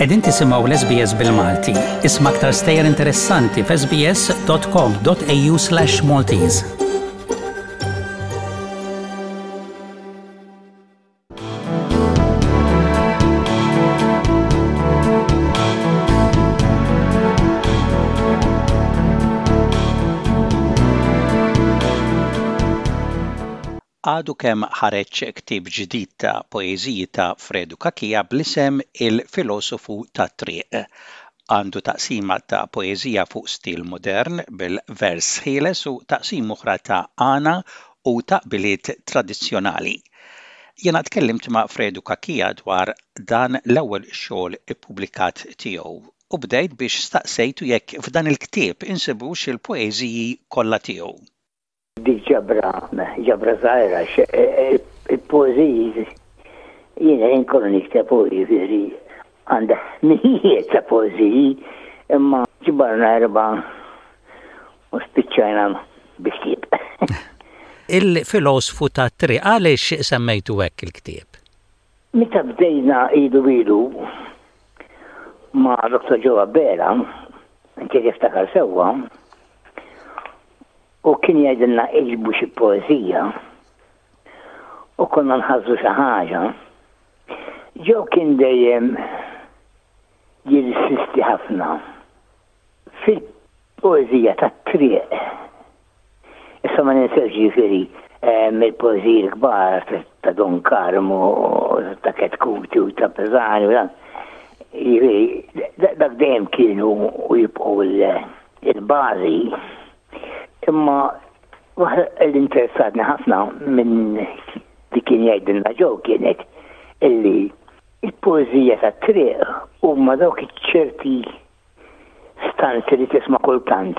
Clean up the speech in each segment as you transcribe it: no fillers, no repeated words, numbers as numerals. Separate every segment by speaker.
Speaker 1: Qegħdin tisimgħu l-SBS bil-Malti. Isma' aktar stejjer interessanti f'sbs.com.au/Maltese. Għadu kemm ħareġ ktieb ġdid ta' poeżiji ta' Fredu Cachia bl-isem Il-Filosofu tat-Triq. Għandu taqsima ta' poeżija fuq stil modern bil-vers ħieles u taqsima oħra ta' għana u taqbiliet tradizzjonali. Jiena tkellimt ma' Fredu Cachia dwar dan l-ewwel xogħol ippubblikat tiegħu u bdejt biex staqsejtu jekk f'dan il-ktieb insibux il-poeżiji kollha tiegħu.
Speaker 2: Dik ġabra, ġabra żgħira għax il-poeżiji jiena ħin kollu nikteb u jiġifieri għandi mijiet ta' poeżiji imma ġbarna erbgħa U spiċċajna bi ktieb.
Speaker 1: Il-filosfu tat-triq, għaliex semmejtu hekk il-ktieb?
Speaker 2: Meta bdejna ilu ilu ma' Dr. Joe Abela, inti tiftakar sewwa, u kien jgħidilna iġbu xi poeżija u konna nħażżu xi ħaġa. Joe kien dejjem jirsisti ħafna Fil-poeżija tat-triq, issa ma ninsewx jiġifieri mill-poeżiji l-kbar ta' Don Karmu, ta' Ketkuti u ta' Pisani u dan, jiġifieri dak dejjem kienu u jibqgħu l-bażi. Imma waħda li interessatni ħafna minn li kien jgħidilna Joe kienet illi il-poeżija tat-triq huma dawk iċ-ċerti stanzi li tisma' kultant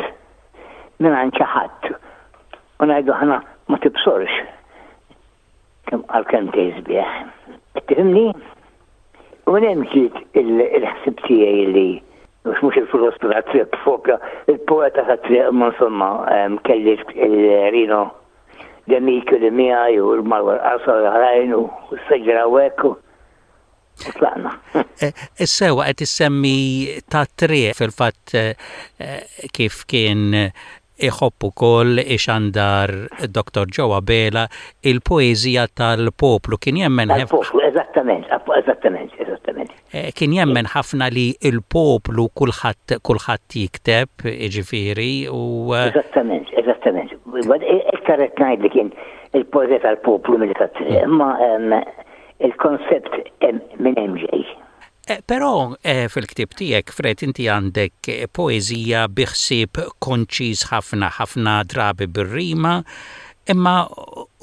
Speaker 2: mingħand xi ħadd u ngħidu aħna ma tibsorx kemm qal kelmtejn sbieħ. Qed tifhimni? U minn hemm ġiet il-ħsieb tiegħi li mhux mhux il-filosfu tat-triq propja, il-poeta tat-triq imma insomma kelli il-Rino De Micheli miegħi u l-Marwa l-Qasar u l-oħrajn u s-seġra u hekk u tlaqna.
Speaker 1: Eh, Sewa qed issemmi ta' triq fil-fatt eh, kif kien iħobb ukoll ixandar Dr. Joe Abela il-poeżija tal-poplu kien jemmen
Speaker 2: Tal-poplu, eżattament, eżattament, eżattament.
Speaker 1: Eh, kien jemmen ħafna li l-poplu kulħadd kulħadd jikteb, jiġifieri u
Speaker 2: Eżattament, eżattament. Iktar qed ngħid li kien il-poeżija tal-poplu milli tat-triq, imma Il-konsept minn hemm ġej.
Speaker 1: Eh, però eh, fil-ktieb tiegħek, Fred, inti għandek eh, poeżija bi ħsieb konċiż ħafna, ħafna drabi bir-rima, imma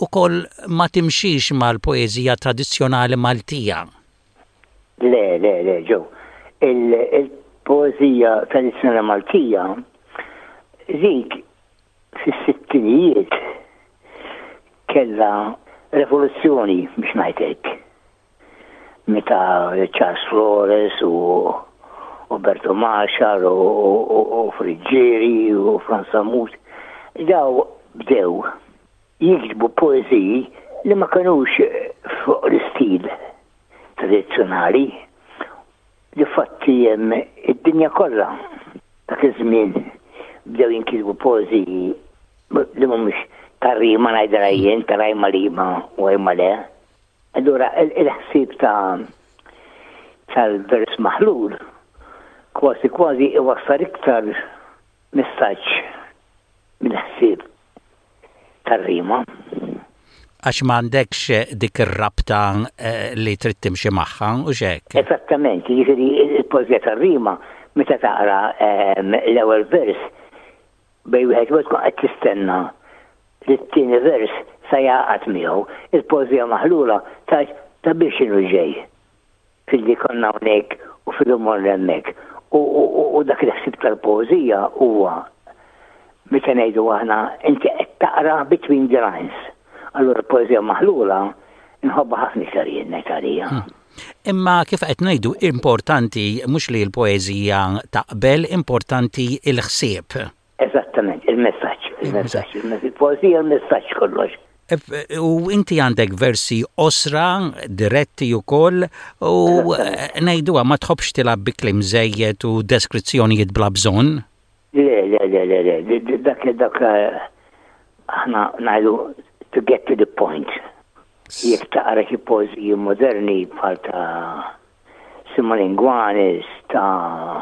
Speaker 1: ukoll ma timxix mal-poeżija tradizzjonali Maltija.
Speaker 2: Le, le, le, Joe. Il-poeżija tradizzjonali Maltija dik Fis-sittinijiet kellha revoluzzjoni biex ngħid hekk. Meta Charles Flores u Roberto Marshall u Friggieri u Frans Sammut daw bdew jiktbu poeżiji li ma kinux fuq l-istil tradizzjonali. Difatti hemm id-dinja kollha dak iż-żmien bdew jinkitbu poeżiji li mhumiex tar-rima ngħidilha jien, ta' rajma lima u rajma le. Allura il-ħsieb ta' tal-vers maħlul kważi kważi iwassal iktar messaġġ mill-ħsieb tar-rima.
Speaker 1: Għax m'għandekx dik ir-rabta eh, li trid timxi magħha u x'hekk.
Speaker 2: Eżattament, jiġifieri il-poeżija tar-rima meta taqra ehm, l-ewwel vers bej wieħed u tkun qed tistenna li t-tieni vers sa jaqgħad miegħu. Il-poeżija maħlula tgħid ta' biex inhu ġej. Filli konna hawnhekk u filli morna hemmhekk. U dak il-ħsieb tal-poeżija huwa meta ngħidu aħna inti qed taqra between the lines. Allura l-poeżija maħlula nħobbha ħafna iktar jien ngħid għalija.
Speaker 1: Hmm. Imma kif qed ngħidu importanti mhux li l-poeżija taqbel, importanti l-ħsieb.
Speaker 2: Eżattament, il-messaġġ, il-messaġġ, il-poeżija, il-messaġġ kollox.
Speaker 1: U inti għandek versi qosra, diretti ukoll, u ngħiduha ma tħobbx tilgħab bi kliem żejjed u deskrizzjonijiet bla bżonn.
Speaker 2: Le, le, le, le, le, dak dak aħna ngħidu to get to the point. Jekk taqra xi poeżiji moderni bħal ta' Simon Inguanis, ta'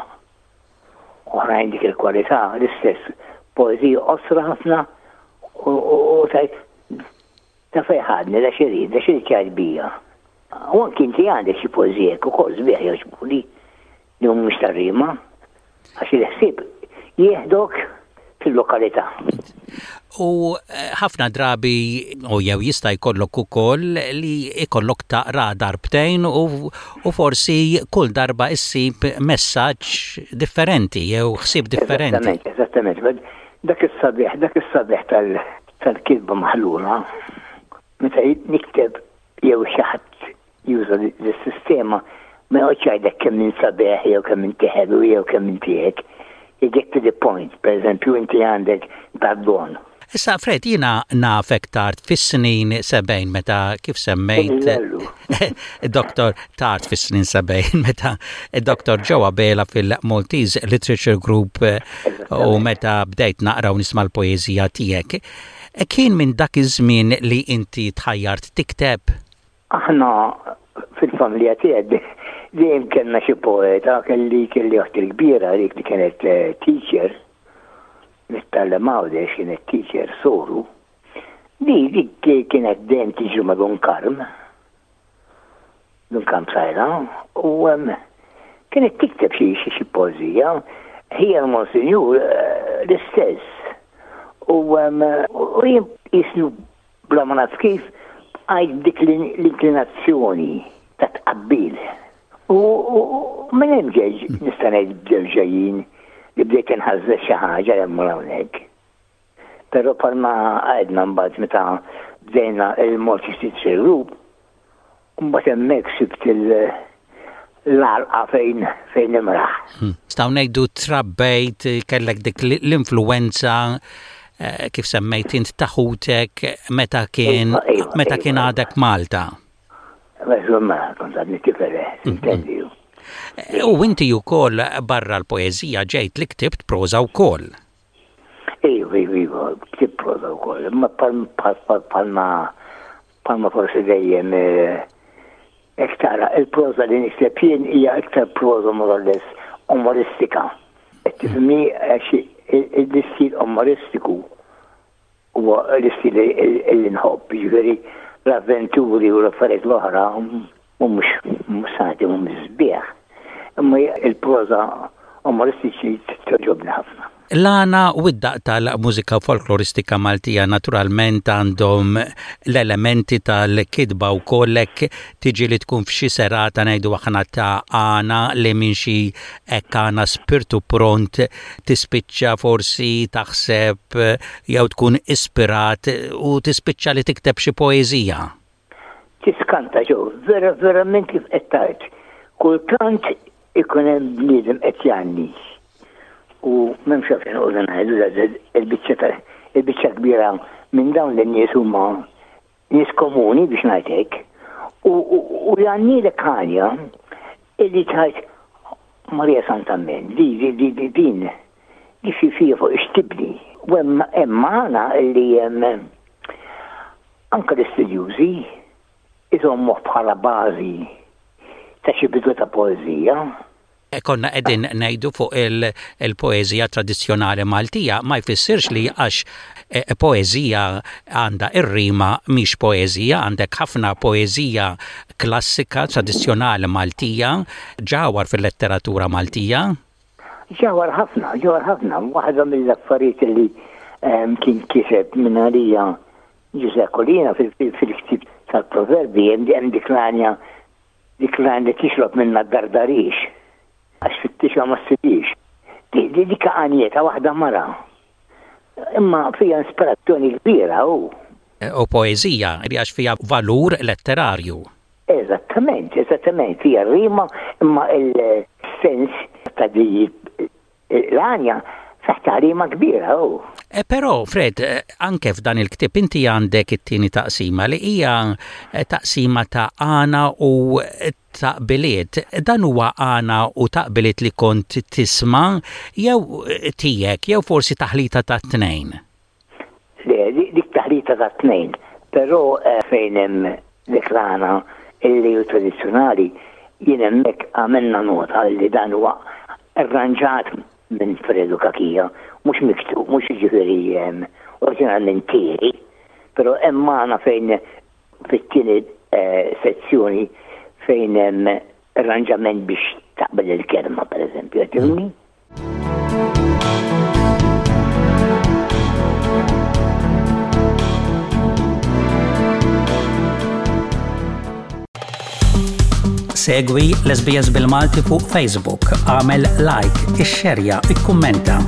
Speaker 2: oħrajn dik il-kwalità, l-istess poeżiji qosra ħafna u tajt ta' fejn ħadni, da xirid, da xirid jgħid bija. U anki inti għandek xi poeżiji hekk ukoll sbieħ jogħġbuni li mhumiex tar-rima, għax il-ħsieb jieħdok fil-lokalità.
Speaker 1: U eh, ħafna drabi u jew jista' jkollok ukoll li jkollok taqra darbtejn u, u forsi kull darba issib messaġġ differenti jew ħsieb differenti.
Speaker 2: Eżattament, eżattament. Dak is-sabiħ, dak is-sabiħ tal-kitba maħlula, meta nikteb jew xi ħadd juża dis-sistema ma joqgħodx jgħidlek kemm int sabiħ jew kemm inti ħelu jew kemm inti hekk. You get to the point, per eżempju inti għandek dad-don.
Speaker 1: Issa Fred, jiena nafek tard fis-snin 70 meta kif semmejt Doktor tard fis-snin 70 meta Doktor Joe Abela fil-Maltese Literature Group u meta bdejt naqra u nisma' l-poeżija tiegħek. Kien minn dak iż-żmien li inti tħajjart tikteb?
Speaker 2: Aħna fil-familja tiegħi dejjem kellna xi poeta, kelli kelli oħti l-kbira dik li kienet eh, teacher, nittallem Għawdex kienet teacher soru. Di dik kienet dejjem tiġri ma' Dun Karm. Dun Karm Sajla u kienet tikteb xi xi poeżija. Ħija l-Monsinjur eh, l-istess. U jien jisnu Bla ma naf kif, bqajt b'dik l-inklinazzjoni ta' tqabbil. U minn hemm ġej, nista' ngħid bdew ġejjin li bdejt inħażżeż xi ħaġa 'l hemm u 'l hawnhekk. Però bħalma għedna mbagħad meta bdejna il-Maltese Literature Group, mbagħad hemmhekk sibt l-għalqa fejn fejn imraħ.
Speaker 1: Hmm. Nistgħu ngħidu trabbejt kellek dik l-influenza eh, kif semmejt int ta' ħutek meta kien iva, iva, meta iva, kien għadek Malta.
Speaker 2: Mela, kont għadni tifel, eh, hmm, intendi.
Speaker 1: Eh, u inti wkoll barra l-poeżija ġejt li ktibt proża wkoll.
Speaker 2: Iva, iva, iva, ktibt proża wkoll, imma palma palma forsi dejjem Hekk tara, il-proża li nikteb jien hija iktar proża more or less umoristika. Qed tifhimni għax l-istil umoristiku huwa l-istil li nħobb, jiġifieri l-avventuri u l-affarijiet l-oħra mhumiex mhux se ngħid li mhumiex sbieħ, imma il-proża umoristiċi togħġobni ħafna.
Speaker 1: L-għana u d-daqq tal-mużika folkloristika Maltija naturalment għandhom l-elementi tal-kitba wkoll hekk tiġi li tkun f'xi serata ngħidu aħna ta' għana li minn xi hekk għana spirtu pront tispiċċa forsi taħseb jew tkun ispirat u tispiċċa li tikteb xi poeżija.
Speaker 2: Tiskanta Joe, vera verament kif qed tgħid. Kultant ikun hemm bniedem qed jgħanni u m'hemmx għalfejn noqogħdu ngħidu il-biċċa ta' il-biċċa kbira minn dawn lin-nies huma nies komuni biex ngħid hekk u jgħannilek għanja illi tgħid Marija Santa Min, di di di di din di fi fija fuq ixtibni. U hemm hemm magħna illi hemm Anke l-istudjużi jżommuh bħala bażi ta' xi bidu ta' poeżija.
Speaker 1: Konna qegħdin ngħidu fuq il-poeżija tradizzjonali Maltija, ma jfissirx li għax poeżija għandha r-rima mhix poeżija, għandek ħafna poeżija klassika tradizzjonali Maltija ġawhar fil-letteratura Maltija.
Speaker 2: Ġawhar ħafna, ġawhar ħafna. Waħda mill-affarijiet li kien kiseb minn għalija Ġużè Colina fil-ktieb tal-Proverbi hemm dik l-għanja dik l-għanja li tixrob minnha d-dardarix għax fittixha ma ssibhiex. Dik għanja ta' waħda mara. Imma fiha ispirazzjoni kbira u.
Speaker 1: U poeżija għax fiha valur letterarju.
Speaker 2: Eżattament, eżattament, hija rima imma il-sens ta' di l-għanja fih tagħlima kbira hu.
Speaker 1: Eh, però, Fred, eh, anke f'dan il-ktieb inti għandek it-tieni taqsima li hija eh, taqsima ta' għana u taqbiliet. Dan huwa għana u taqbiliet li kont tisma' jew tiegħek jew forsi taħlita tat-tnejn?
Speaker 2: Le, dik taħlita tat-tnejn, però fejn hemm dik l-għana illi hu tradizzjonali, jien hemmhekk għamilna nota li dan huwa arranġat minn Fredu Cachia, mhux miktub, mhux jiġifieri oriġinalment tiegħi, però hemm magħna fejn fit-tieni eh, sezzjoni fejn hemm arranġament biex taqbel il-kelma, pereżempju, tifhimni?
Speaker 1: Segwi l-SBS bil-Malti fuq Facebook, għamel like, ixxerja, ikkummenta.